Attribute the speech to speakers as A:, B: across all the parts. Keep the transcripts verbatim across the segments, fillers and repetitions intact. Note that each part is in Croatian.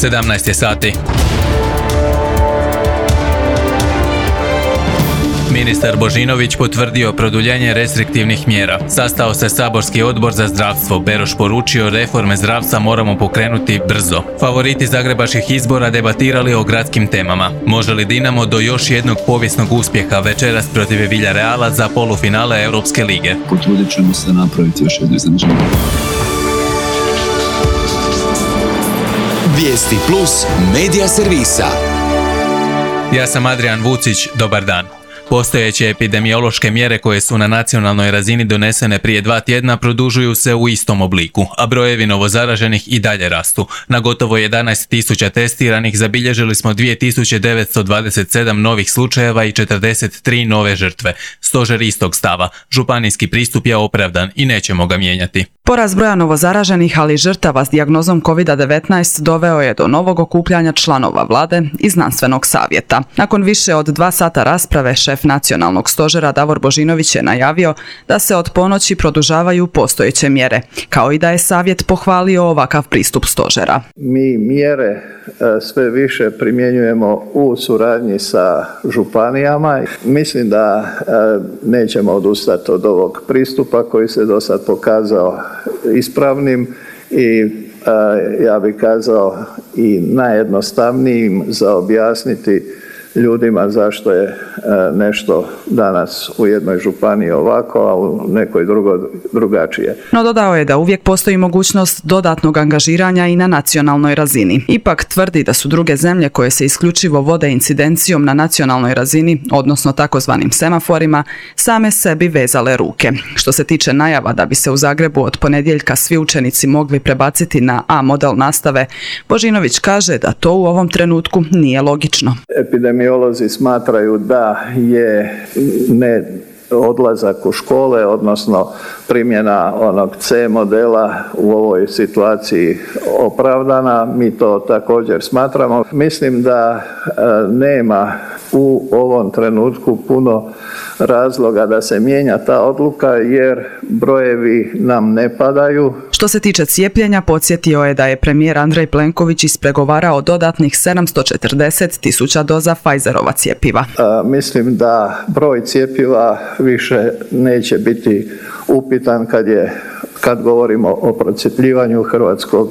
A: sedamnaest je sati. Ministar Božinović potvrdio produljenje restriktivnih mjera. Sastao se saborski odbor za zdravstvo. Beroš poručio reforme zdravstva moramo pokrenuti brzo. Favoriti zagrebačkih izbora debatirali o gradskim temama. Može li Dinamo do još jednog povijesnog uspjeha večeras protiv Villareala za polufinale Europske lige?
B: Potrudit ćemo se napraviti još jedno iznenađenje.
C: Vijesti plus medija servisa.
A: Ja sam Adrian Vucić, dobar dan. Postojeće epidemiološke mjere koje su na nacionalnoj razini donesene prije dva tjedna produžuju se u istom obliku, a brojevi novozaraženih i dalje rastu. Na gotovo jedanaest tisuća testiranih zabilježili smo dvije tisuće devetsto dvadeset sedam novih slučajeva i četrdeset tri nove žrtve. Stožer istog stava. Županijski pristup je opravdan i nećemo ga mijenjati.
D: Porast broja novozaraženih, ali i žrtava s dijagnozom kovid devetnaest doveo je do novog okupljanja članova vlade i znanstvenog savjeta. Nakon više od dva sata rasprave, šef nacionalnog stožera Davor Božinović je najavio da se od ponoći produžavaju postojeće mjere, kao i da je savjet pohvalio ovakav pristup stožera.
E: Mi mjere sve više primjenjujemo u suradnji sa županijama. Mislim da nećemo odustati od ovog pristupa koji se do sad pokazao ispravnim i ja bih kazao i najjednostavnijim za objasniti ljudima zašto je nešto danas u jednoj županiji ovako, a u nekoj drugo, drugačije.
D: No dodao je da uvijek postoji mogućnost dodatnog angažiranja i na nacionalnoj razini. Ipak tvrdi da su druge zemlje koje se isključivo vode incidencijom na nacionalnoj razini, odnosno takozvanim semaforima, same sebi vezale ruke. Što se tiče najava da bi se u Zagrebu od ponedjeljka svi učenici mogli prebaciti na A model nastave, Božinović kaže da to u ovom trenutku nije logično.
E: Epidemiolozi smatraju da je ne odlazak u škole, odnosno primjena onog C modela u ovoj situaciji opravdana. Mi to također smatramo. Mislim da nema u ovom trenutku puno razloga da se mijenja ta odluka jer brojevi nam ne padaju.
D: Što se tiče cijepljenja, podsjetio je da je premijer Andrej Plenković ispregovarao dodatnih sedamsto četrdeset tisuća doza Pfizerova cjepiva.
E: A, mislim da broj cjepiva više neće biti upitan kad je kad govorimo o procjepljivanju hrvatskog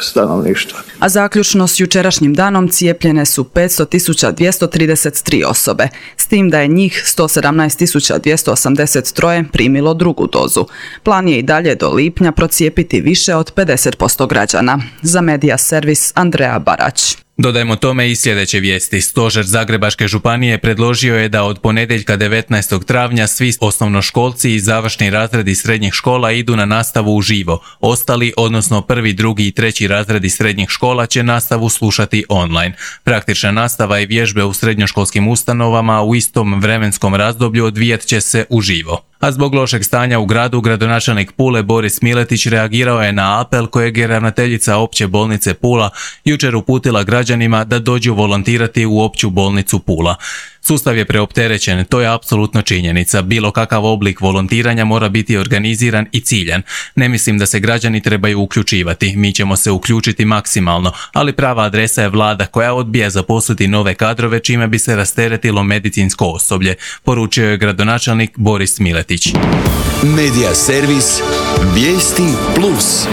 E: stanovništva.
D: A zaključno s jučerašnjim danom cijepljene su petsto tisuća dvjesto trideset tri osobe, s tim da je njih sto sedamnaest tisuća dvjesto osamdeset tri primilo drugu dozu. Plan je i dalje do lipnja procijepiti više od pedeset posto građana. Za Medija servis Andreja Barać.
A: Dodajmo tome i sljedeće vijesti. Stožer Zagrebačke županije predložio je da od ponedjeljka devetnaestog travnja svi osnovnoškolci i završni razredi srednjih škola idu na nastavu uživo. Ostali, odnosno prvi, drugi i treći razredi srednjih škola će nastavu slušati online. Praktična nastava i vježbe u srednjoškolskim ustanovama u istom vremenskom razdoblju odvijat će se uživo. A zbog lošeg stanja u gradu, gradonačelnik Pule Boris Miletić reagirao je na apel kojeg je ravnateljica opće bolnice Pula jučer uputila građanima da dođu volontirati u opću bolnicu Pula. Sustav je preopterećen, to je apsolutno činjenica. Bilo kakav oblik volontiranja mora biti organiziran i ciljan. Ne mislim da se građani trebaju uključivati. Mi ćemo se uključiti maksimalno, ali prava adresa je vlada koja odbija zaposliti nove kadrove čime bi se rasteretilo medicinsko osoblje, poručio je gradonačelnik Boris Miletić.
C: Medija servis Vijesti plus.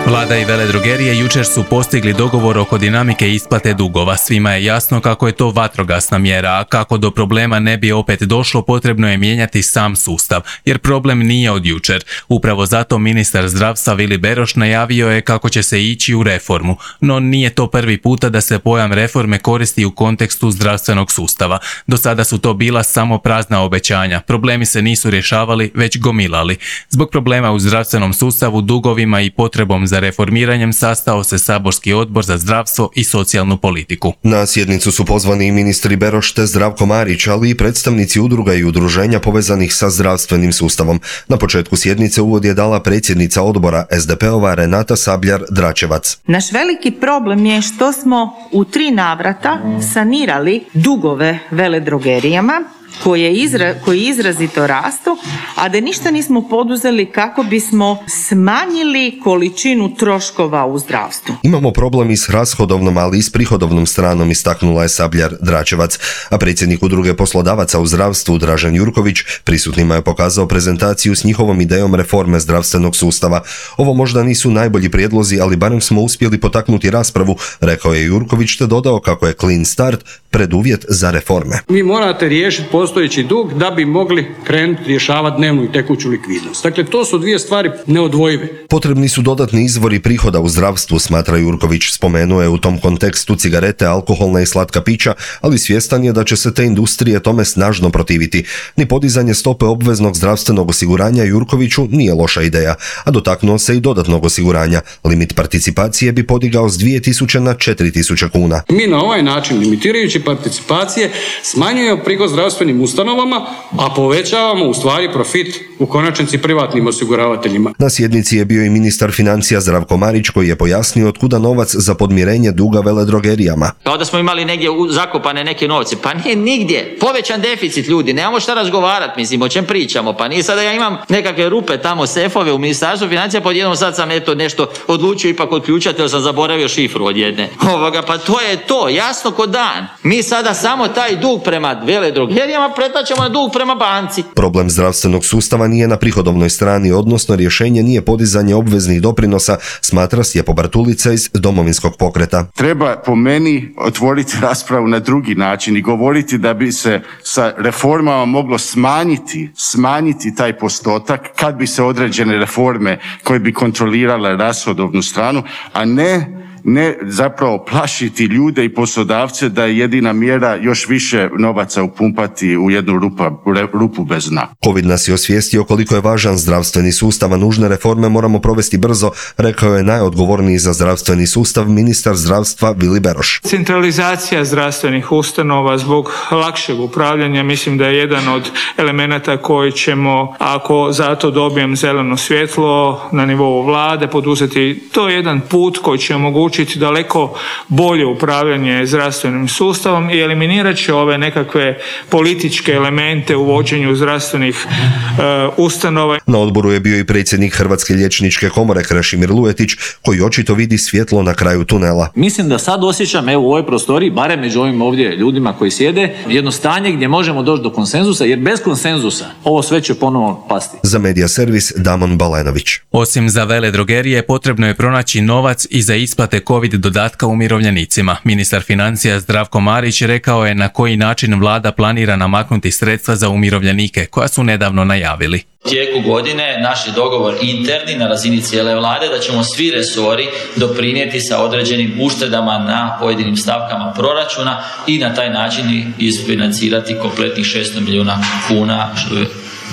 A: Vlada i veledrogerije jučer su postigli dogovor oko dinamike isplate dugova. Svima je jasno kako je to vatrogasna mjera, a kako do problema ne bi opet došlo, potrebno je mijenjati sam sustav, jer problem nije od jučer. Upravo zato ministar zdravstva Vili Beroš najavio je kako će se ići u reformu, no nije to prvi puta da se pojam reforme koristi u kontekstu zdravstvenog sustava. Do sada su to bila samo prazna obećanja. Problemi se nisu rješavali, već gomilali. Zbog problema u zdravstvenom sustavu, dugovima i potrebom za reformiranjem sastao se saborski odbor za zdravstvo i socijalnu politiku.
F: Na sjednicu su pozvani i ministri Beroš te Zdravko Marić, ali i predstavnici udruga i udruženja povezanih sa zdravstvenim sustavom. Na početku sjednice uvod je dala predsjednica odbora es de pe ova Renata Sabljar-Dračevac.
G: Naš veliki problem je što smo u tri navrata sanirali dugove veledrogerijama koje izra, koji izrazito rastu, a da ništa nismo poduzeli kako bismo smanjili količinu troškova u zdravstvu.
F: Imamo problem i s rashodovnom, ali i s prihodovnom stranom, istaknula je Sabljar Dračevac, a predsjednik udruge poslodavaca u zdravstvu Dražen Jurković prisutnima je pokazao prezentaciju s njihovom idejom reforme zdravstvenog sustava. Ovo možda nisu najbolji prijedlozi, ali barem smo uspjeli potaknuti raspravu, rekao je Jurković, te dodao kako je clean start preduvjet za reforme.
H: Vi morate riješiti postojeći dug da bi mogli krenuti rješavati dnevnu i tekuću likvidnost. Dakle, to su dvije stvari neodvojive.
F: Potrebni su dodatni izvori prihoda u zdravstvu, smatra Jurković. Spomenuo je u tom kontekstu cigarete, alkoholna i slatka pića, ali svjestan je da će se te industrije tome snažno protiviti. Ni podizanje stope obveznog zdravstvenog osiguranja Jurkoviću nije loša ideja, a dotaknuo se i dodatnog osiguranja. Limit participacije bi podigao s dvije tisuće na četiri tisuće kuna.
H: Mi na ovaj način, limitirajući participacije, smanjujemo prihod zdravstvenim ustanovama, a povećavamo u stvari profit u konačnici privatnim osiguravateljima.
F: Na sjednici je bio i ministar financija Zdravko Marić, koji je pojasnio otkuda novac za podmirenje duga veledrogerijama.
I: Kao da smo imali negdje zakopane neke novce. Pa nije nigdje. Povećan deficit, ljudi. Nemamo šta razgovarati, mislim, o čem pričamo. Pa nije sada ja imam nekakve rupe tamo, sefove u ministarstvu financija, pa odjednom sad sam eto nešto odlučio ipak odključati, jer sam zaboravio šifru od jedne. Ovoga, pa to je to, jasno ko dan. Mi sada samo taj dug prema veledrogerijama pretačemo na dug prema banci.
F: Problem zdravstvenog sustava nije na prihodovnoj strani, odnosno rješenje nije podizanje obveznih doprinosa, smatra Stjepo Bartulica iz Domovinskog pokreta.
J: Treba po meni otvoriti raspravu na drugi način i govoriti da bi se sa reformama moglo smanjiti, smanjiti taj postotak kad bi se određene reforme koje bi kontrolirale rashodovnu stranu, a ne ne zapravo plašiti ljude i poslodavce da je jedina mjera još više novaca upumpati u jednu rupa, rupu bez dna.
F: Covid nas je osvijestio koliko je važan zdravstveni sustav, a nužne reforme moramo provesti brzo, rekao je najodgovorniji za zdravstveni sustav ministar zdravstva Vili Beroš.
K: Centralizacija zdravstvenih ustanova zbog lakšeg upravljanja mislim da je jedan od elemenata koji ćemo, ako zato dobijem zeleno svjetlo na nivou vlade, poduzeti. To je jedan put koji će omogućiti daleko bolje upravljanje zdravstvenim sustavom i eliminirat će ove nekakve političke elemente u vođenju zdravstvenih uh, ustanova.
F: Na odboru je bio i predsjednik Hrvatske liječničke komore Krešimir Lujetić, koji očito vidi svjetlo na kraju tunela.
L: Mislim da sad osjećam evo u ovoj prostoriji, barem među ovim ovdje ljudima koji sjede, jedno stanje gdje možemo doći do konsenzusa, jer bez konsenzusa ovo sve će ponovo pasti.
F: Za Medija servis Damon Balenović.
A: Osim za veledrogerije, potrebno je pronaći novac i za isplate Covid dodatka umirovljenicima. Ministar financija Zdravko Marić rekao je na koji način vlada planira namaknuti sredstva za umirovljenike, koja su nedavno najavili.
I: U tijeku godine naš je dogovor interni na razini cijele vlade da ćemo svi resori doprinijeti sa određenim uštedama na pojedinim stavkama proračuna i na taj način isfinancirati kompletnih šesto milijuna kuna što je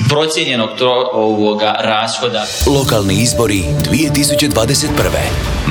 I: procijenjenog ovoga rashoda.
C: Lokalni izbori dvije tisuće dvadeset prve.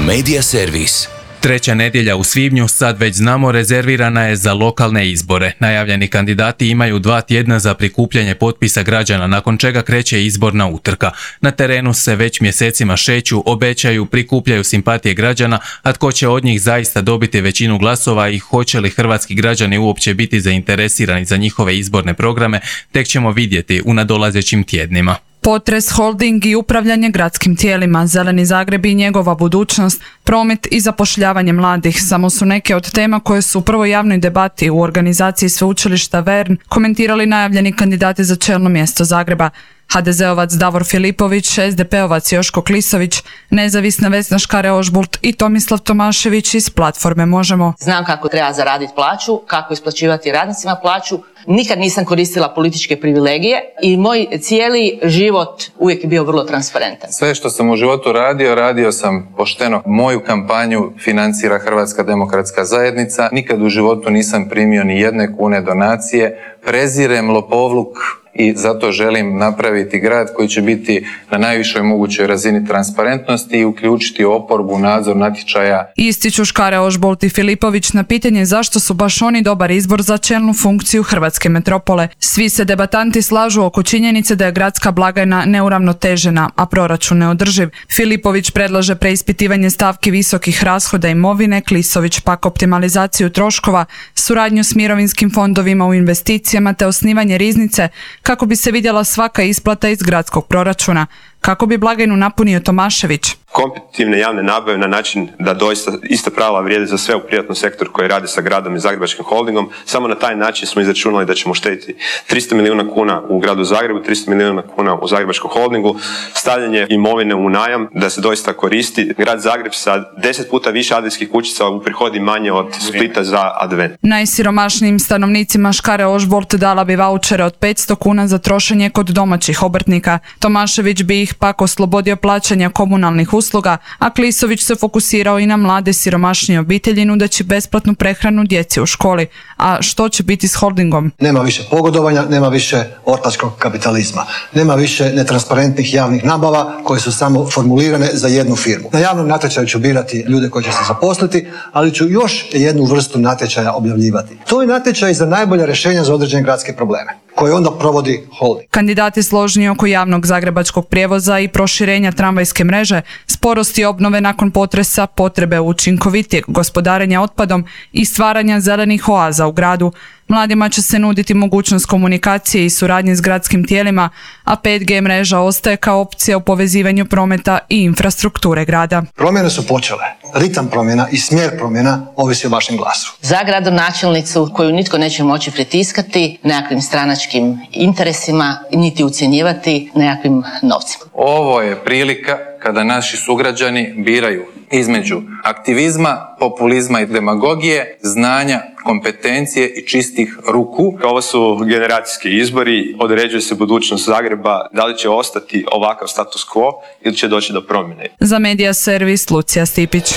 C: Medija servis.
A: Treća nedjelja u svibnju, sad već znamo, rezervirana je za lokalne izbore. Najavljeni kandidati imaju dva tjedna za prikupljanje potpisa građana, nakon čega kreće izborna utrka. Na terenu se već mjesecima šeću, obećaju, prikupljaju simpatije građana, a tko će od njih zaista dobiti većinu glasova i hoće li hrvatski građani uopće biti zainteresirani za njihove izborne programe, tek ćemo vidjeti u nadolazećim tjednima.
D: Potres, holding i upravljanje gradskim tijelima, Zeleni Zagreb i njegova budućnost, promet i zapošljavanje mladih samo su neke od tema koje su u prvoj javnoj debati u organizaciji sveučilišta Vern komentirali najavljeni kandidati za čelno mjesto Zagreba. ha de zeovac Davor Filipović, es de peovac Joško Klisović, nezavisna Vesna Škare-Ožbolt i Tomislav Tomašević iz platforme Možemo.
M: Znam kako treba zaraditi plaću, kako isplaćivati radnicima plaću. Nikad nisam koristila političke privilegije i moj cijeli život uvijek je bio vrlo transparentan.
N: Sve što sam u životu radio, radio sam pošteno. Moju kampanju financira Hrvatska demokratska zajednica. Nikad u životu nisam primio ni jedne kune donacije. Prezirem lopovluk i zato želim napraviti grad koji će biti na najvišoj mogućoj razini transparentnosti i uključiti oporbu u nadzor natječaja.
D: Ističu Škare Ožbolt i Filipović na pitanje zašto su baš oni dobar izbor za čelnu funkciju hrvatske metropole. Svi se debatanti slažu oko činjenice da je gradska blagajna neuravnotežena, a proračun neodrživ. Filipović predlaže preispitivanje stavki visokih rashoda imovine, Klisović pak optimalizaciju troškova, suradnju s mirovinskim fondovima u investicijama te osnivanje riznice kako bi se vidjela svaka isplata iz gradskog proračuna. Kako bi blagajnu napunio Tomašević?
O: Kompetitivne javne nabave na način da doista ista pravila vrijede za sve u privatnom sektoru koji radi sa gradom i Zagrebačkim holdingom. Samo na taj način smo izračunali da ćemo štediti tristo milijuna kuna u gradu Zagrebu, tristo milijuna kuna u Zagrebačkom holdingu, stavljanje imovine u najam da se doista koristi. Grad Zagreb sa deset puta više adventskih kućica uprihodi manje od Splita za advent.
D: Najsiromašnijim stanovnicima Škare Ožbolt dala bi vaučere od petsto kuna za trošenje kod domaćih obrtnika. Tomašević bi ih pak oslobodio plaćanja komunalnih usluga, a Klisović se fokusirao i na mlade siromašnije obitelji nudeći besplatnu prehranu djeci u školi. A što će biti s holdingom?
P: Nema više pogodovanja, nema više ortačkog kapitalizma, nema više netransparentnih javnih nabava koje su samo formulirane za jednu firmu. Na javnom natječaju ću birati ljude koji će se zaposliti, ali ću još jednu vrstu natječaja objavljivati. To je natječaj za najbolja rješenja za određene gradske probleme, koje onda provodi holding.
D: Kandidati složni oko javnog zagrebačkog prijevoza i proširenja tramvajske mreže, sporosti obnove nakon potresa, potrebe učinkovitijeg gospodarenja otpadom i stvaranja zelenih oaza u gradu. Mladima će se nuditi mogućnost komunikacije i suradnje s gradskim tijelima, a pet G mreža ostaje kao opcija u povezivanju prometa i infrastrukture grada.
P: Promjene su počele. Ritam promjena i smjer promjena ovisi o vašem glasu.
M: Za gradonačelnicu koju nitko neće moći pritiskati nekakvim stranačkim interesima, niti ucjenjivati nekakvim novcima.
N: Ovo je prilika kada naši sugrađani biraju između aktivizma, populizma i demagogije, znanja, kompetencije i čistih ruku.
O: Ovo su generacijski izbori, određuje se budućnost Zagreba, da li će ostati ovakav status quo ili će doći do promjene.
D: Za Medija servis Lucija Stipić.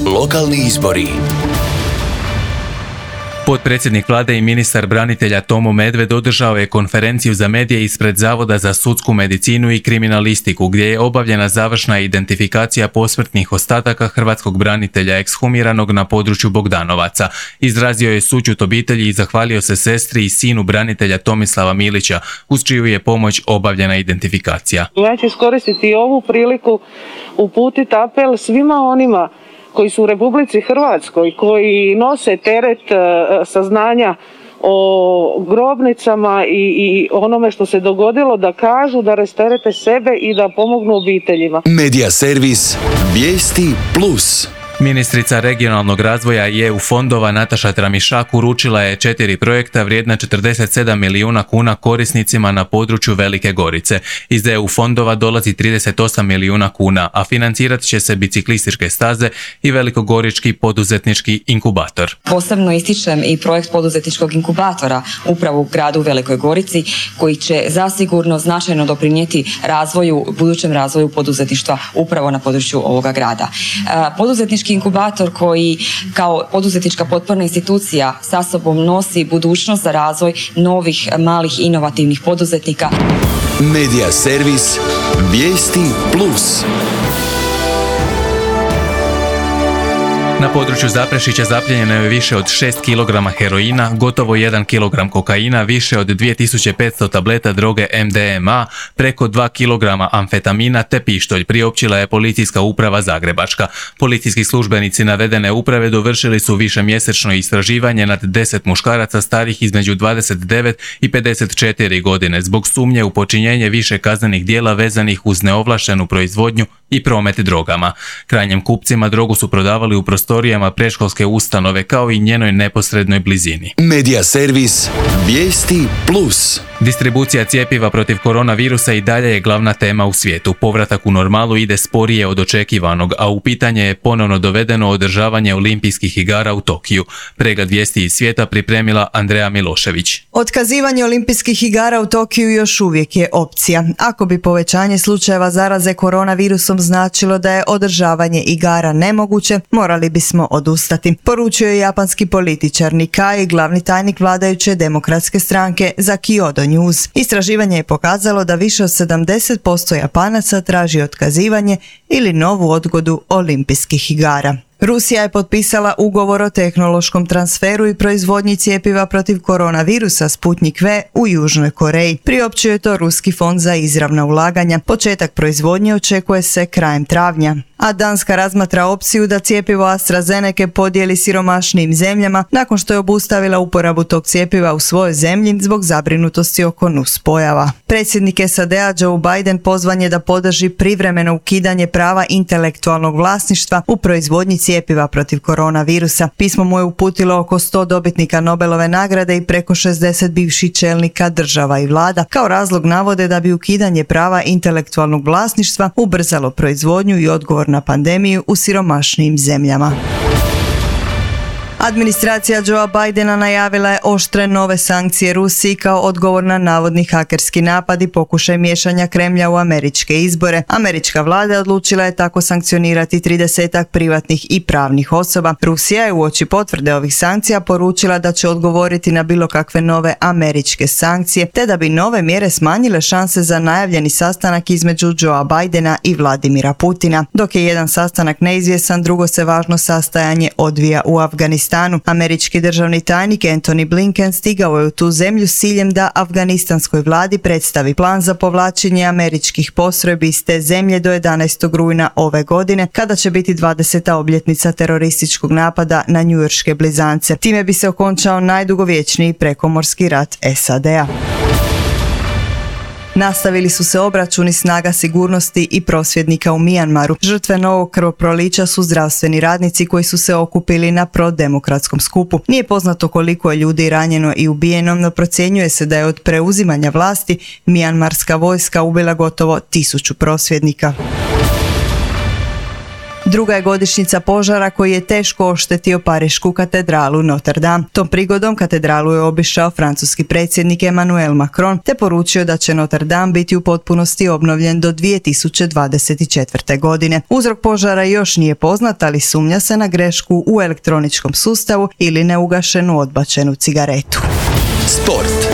C: Lokalni izbori.
A: Potpredsjednik vlade i ministar branitelja Tomo Medved održao je konferenciju za medije ispred Zavoda za sudsku medicinu i kriminalistiku, gdje je obavljena završna identifikacija posmrtnih ostataka hrvatskog branitelja ekshumiranog na području Bogdanovaca. Izrazio je sućut obitelji i zahvalio se sestri i sinu branitelja Tomislava Milića, uz čiju je pomoć obavljena identifikacija.
Q: Ja ću iskoristiti ovu priliku uputiti apel svima onima koji su u Republici Hrvatskoj, koji nose teret uh, saznanja o grobnicama i, i onome što se dogodilo, da kažu, da rasterete sebe i da pomognu obiteljima.
C: Medija servis Vijesti Plus.
A: Ministrica regionalnog razvoja i E U fondova Nataša Tramišak uručila je četiri projekta vrijedna četrdeset sedam milijuna kuna korisnicima na području Velike Gorice. Iz E U fondova dolazi trideset osam milijuna kuna, a financirat će se biciklističke staze i velikogorički poduzetnički inkubator.
R: Posebno ističem i projekt poduzetničkog inkubatora upravo u gradu Velikoj Gorici, koji će zasigurno značajno doprinijeti razvoju, budućem razvoju poduzetništva upravo na području ovoga grada. Poduzetnički inkubator koji kao poduzetnička potporna institucija sa sobom nosi budućnost za razvoj novih malih inovativnih poduzetnika.
C: Medija servis Vijesti Plus.
A: Na području Zaprešića zapljenjeno je više od šest kilograma heroina, gotovo jedan kilogram kokaina, više od dvije tisuće petsto tableta droge M D M A, preko dva kilograma amfetamina te pištolj, priopćila je Policijska uprava Zagrebačka. Policijski službenici navedene uprave dovršili su višemjesečno istraživanje nad deset muškaraca starih između dvadeset devet i pedeset četiri godine zbog sumnje u počinjenje više kaznenih djela vezanih uz neovlaštenu proizvodnju i promet drogama. Krajnjim kupcima drogu su prodavali u prostorijama predškolske ustanove kao i njenoj neposrednoj blizini.
C: Medija servis Vijesti Plus.
A: Distribucija cjepiva protiv koronavirusa i dalje je glavna tema u svijetu. Povratak u normalu ide sporije od očekivanog, a u pitanje je ponovno dovedeno održavanje olimpijskih igara u Tokiju. Pregled vijesti iz svijeta pripremila Andreja Milošević.
S: Otkazivanje olimpijskih igara u Tokiju još uvijek je opcija. Ako bi povećanje slučajeva zaraze koronavirusom značilo da je održavanje igara nemoguće, morali bismo odustati, poručio je japanski političar Nikkei, glavni tajnik vladajuće demokratske stranke za Kyoto News. Istraživanje je pokazalo da više od sedamdeset posto Japanaca traži otkazivanje ili novu odgodu olimpijskih igara. Rusija je potpisala ugovor o tehnološkom transferu i proizvodnji cjepiva protiv koronavirusa Sputnik V u Južnoj Koreji. Priopćio je to Ruski fond za izravna ulaganja. Početak proizvodnje očekuje se krajem travnja. A Danska razmatra opciju da cjepivo AstraZeneca podijeli siromašnijim zemljama nakon što je obustavila uporabu tog cjepiva u svojoj zemlji zbog zabrinutosti oko nuspojava. Predsjednik S A D-a Joe Biden pozvan je da podrži privremeno ukidanje prava intelektualnog vlasništva u proizvodnji cjepiva protiv koronavirusa. Pismo mu je uputilo oko sto dobitnika Nobelove nagrade i preko šezdeset bivših čelnika država i vlada. Kao razlog navode da bi ukidanje prava intelektualnog vlasništva ubrzalo proizvodnju i odgovor na pandemiju u siromašnijim zemljama. Administracija Joea Bidena najavila je oštre nove sankcije Rusiji kao odgovor na navodni hakerski napad i pokušaj miješanja Kremlja u američke izbore. Američka vlada odlučila je tako sankcionirati tridesetak privatnih i pravnih osoba. Rusija je uoči potvrde ovih sankcija poručila da će odgovoriti na bilo kakve nove američke sankcije, te da bi nove mjere smanjile šanse za najavljeni sastanak između Joea Bidena i Vladimira Putina. Dok je jedan sastanak neizvjesan, drugo se važno sastajanje odvija u Afganistanu. Američki državni tajnik Antony Blinken stigao je u tu zemlju s ciljem da afganistanskoj vladi predstavi plan za povlačenje američkih postrojbi iz te zemlje do jedanaestog rujna ove godine, kada će biti dvadeseta obljetnica terorističkog napada na njujorške blizance. Time bi se okončao najdugovječniji prekomorski rat S A D-a. Nastavili su se obračuni snaga sigurnosti i prosvjednika u Mijanmaru. Žrtve novog krvoprolića su zdravstveni radnici koji su se okupili na prodemokratskom skupu. Nije poznato koliko je ljudi ranjeno i ubijeno, no procjenjuje se da je od preuzimanja vlasti mijanmarska vojska ubila gotovo tisuću prosvjednika. Druga je godišnjica požara koji je teško oštetio parišku katedralu Notre Dame. Tom prigodom katedralu je obišao francuski predsjednik Emmanuel Macron te poručio da će Notre Dame biti u potpunosti obnovljen do dvije tisuće dvadeset četvrte. godine. Uzrok požara još nije poznat, ali sumnja se na grešku u elektroničkom sustavu ili neugašenu odbačenu cigaretu.
C: Sport.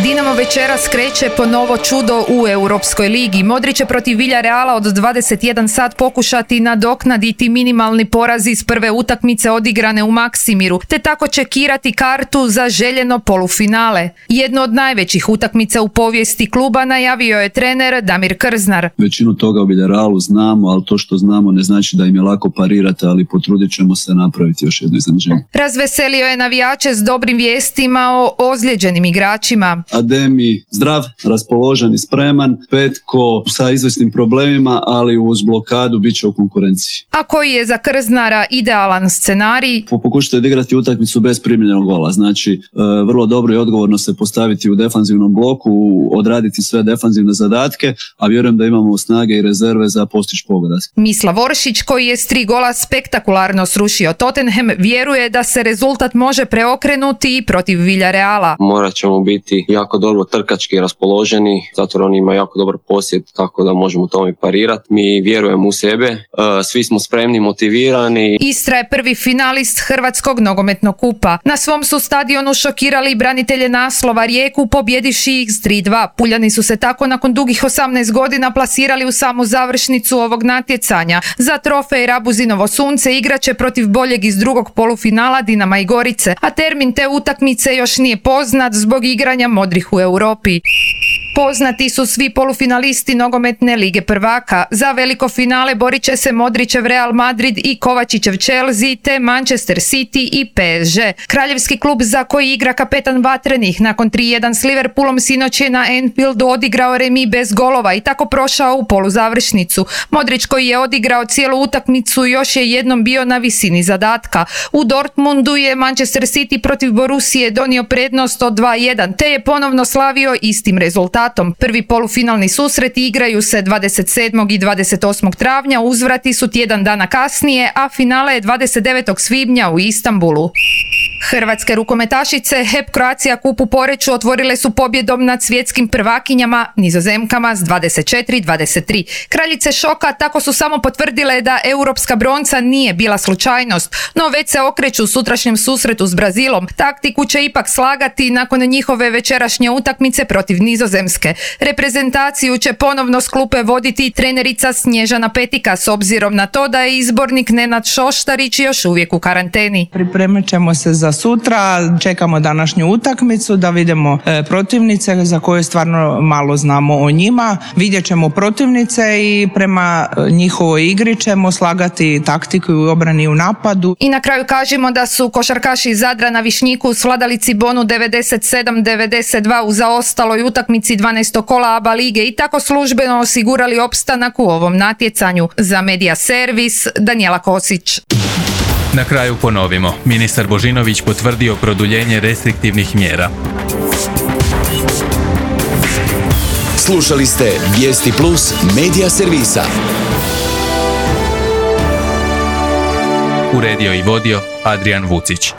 T: Dinamo večeras kreće po novo čudo u Europskoj ligi. Modrić će protiv Villareala od dvadeset jedan sat pokušati nadoknaditi minimalni poraz iz prve utakmice odigrane u Maksimiru, te tako čekirati kartu za željeno polufinale. Jedno od najvećih utakmica u povijesti kluba najavio je trener Damir Krznar.
B: Većinu toga u Villarealu znamo, ali to što znamo ne znači da im je lako parirati, ali potrudit ćemo se napraviti još jedno iznenađenje.
T: Razveselio je navijače s dobrim vijestima o ozlijeđenim igračima.
B: Ademi zdrav, raspoložen i spreman, Petko sa izvjesnim problemima, ali uz blokadu bit će u konkurenciji.
T: A koji je za Krznara idealan scenarij?
B: Pokušajte odigrati utakmicu bez primljenog gola, znači vrlo dobro i odgovorno se postaviti u defanzivnom bloku, odraditi sve defanzivne zadatke, a vjerujem da imamo snage i rezerve za postići pogodak.
T: Mislav Oršić, koji je s tri gola spektakularno srušio Tottenham, vjeruje da se rezultat može preokrenuti i protiv Villareala.
U: Morat ćemo biti jako dobro trkački raspoloženi, zato oni imaju jako dobar posjed, tako da možemo tome parirati. Mi vjerujemo u sebe, svi smo spremni, motivirani.
T: Istra je prvi finalist Hrvatskog nogometnog kupa. Na svom su stadionu šokirali branitelje naslova Rijeku, pobjedivši ih s tri dva. Puljani su se tako nakon dugih osamnaest godina plasirali u samu završnicu ovog natjecanja. Za trofej Rabuzinovo sunce igraće protiv boljeg iz drugog polufinala Dinama i Gorice, a termin te utakmice još nije poznat zbog igranja modrih u Europi. Poznati su svi polufinalisti nogometne lige prvaka. Za veliko finale borit će se Modrićev Real Madrid i Kovačićev Chelsea, te Manchester City i P S G. Kraljevski klub za koji igra kapetan Vatrenih nakon tri jedan s Liverpoolom sinoć je na Anfieldu odigrao remi bez golova i tako prošao u poluzavršnicu. Modrić, koji je odigrao cijelu utakmicu, još je jednom bio na visini zadatka. U Dortmundu je Manchester City protiv Borusije donio prednost od dva jedan, te je ponovno slavio istim rezultatom. Prvi polufinalni susreti igraju se dvadeset sedmog i dvadeset osmog travnja, uzvrati su tjedan dana kasnije, a finale je dvadeset devetog svibnja u Istanbulu. Hrvatske rukometašice H E P Croatia Cup u Poreču otvorile su pobjedom nad svjetskim prvakinjama Nizozemkama s dvadeset četiri dvadeset tri. Kraljice šoka tako su samo potvrdile da europska bronca nije bila slučajnost, no već se okreću sutrašnjem susretu s Brazilom. Taktiku će ipak slagati nakon njihove večerašnje utakmice protiv Nizozemske. Reprezentaciju će ponovno s klupe voditi trenerica Snježana Petika s obzirom na to da je izbornik Nenad Šoštarić još uvijek u karanteni.
E: Pripremit ćemo se za sutra, čekamo današnju utakmicu da vidimo e, protivnice za koje stvarno malo znamo o njima. Vidjet ćemo protivnice i prema njihovoj igri ćemo slagati taktiku u obrani i u napadu.
T: I na kraju kažemo da su košarkaši Zadra na Višnjiku svladali Cibonu devedeset sedam devedeset dva u zaostaloj utakmici dvanaestog kola ABA lige i tako službeno osigurali opstanak u ovom natjecanju. Za Medija Servis, Danijela Kosić.
A: Na kraju ponovimo. Ministar Božinović potvrdio produljenje restriktivnih mjera.
C: Slušali ste Vijesti Plus Medija Servisa.
A: Uredio i vodio Adrian Vucić.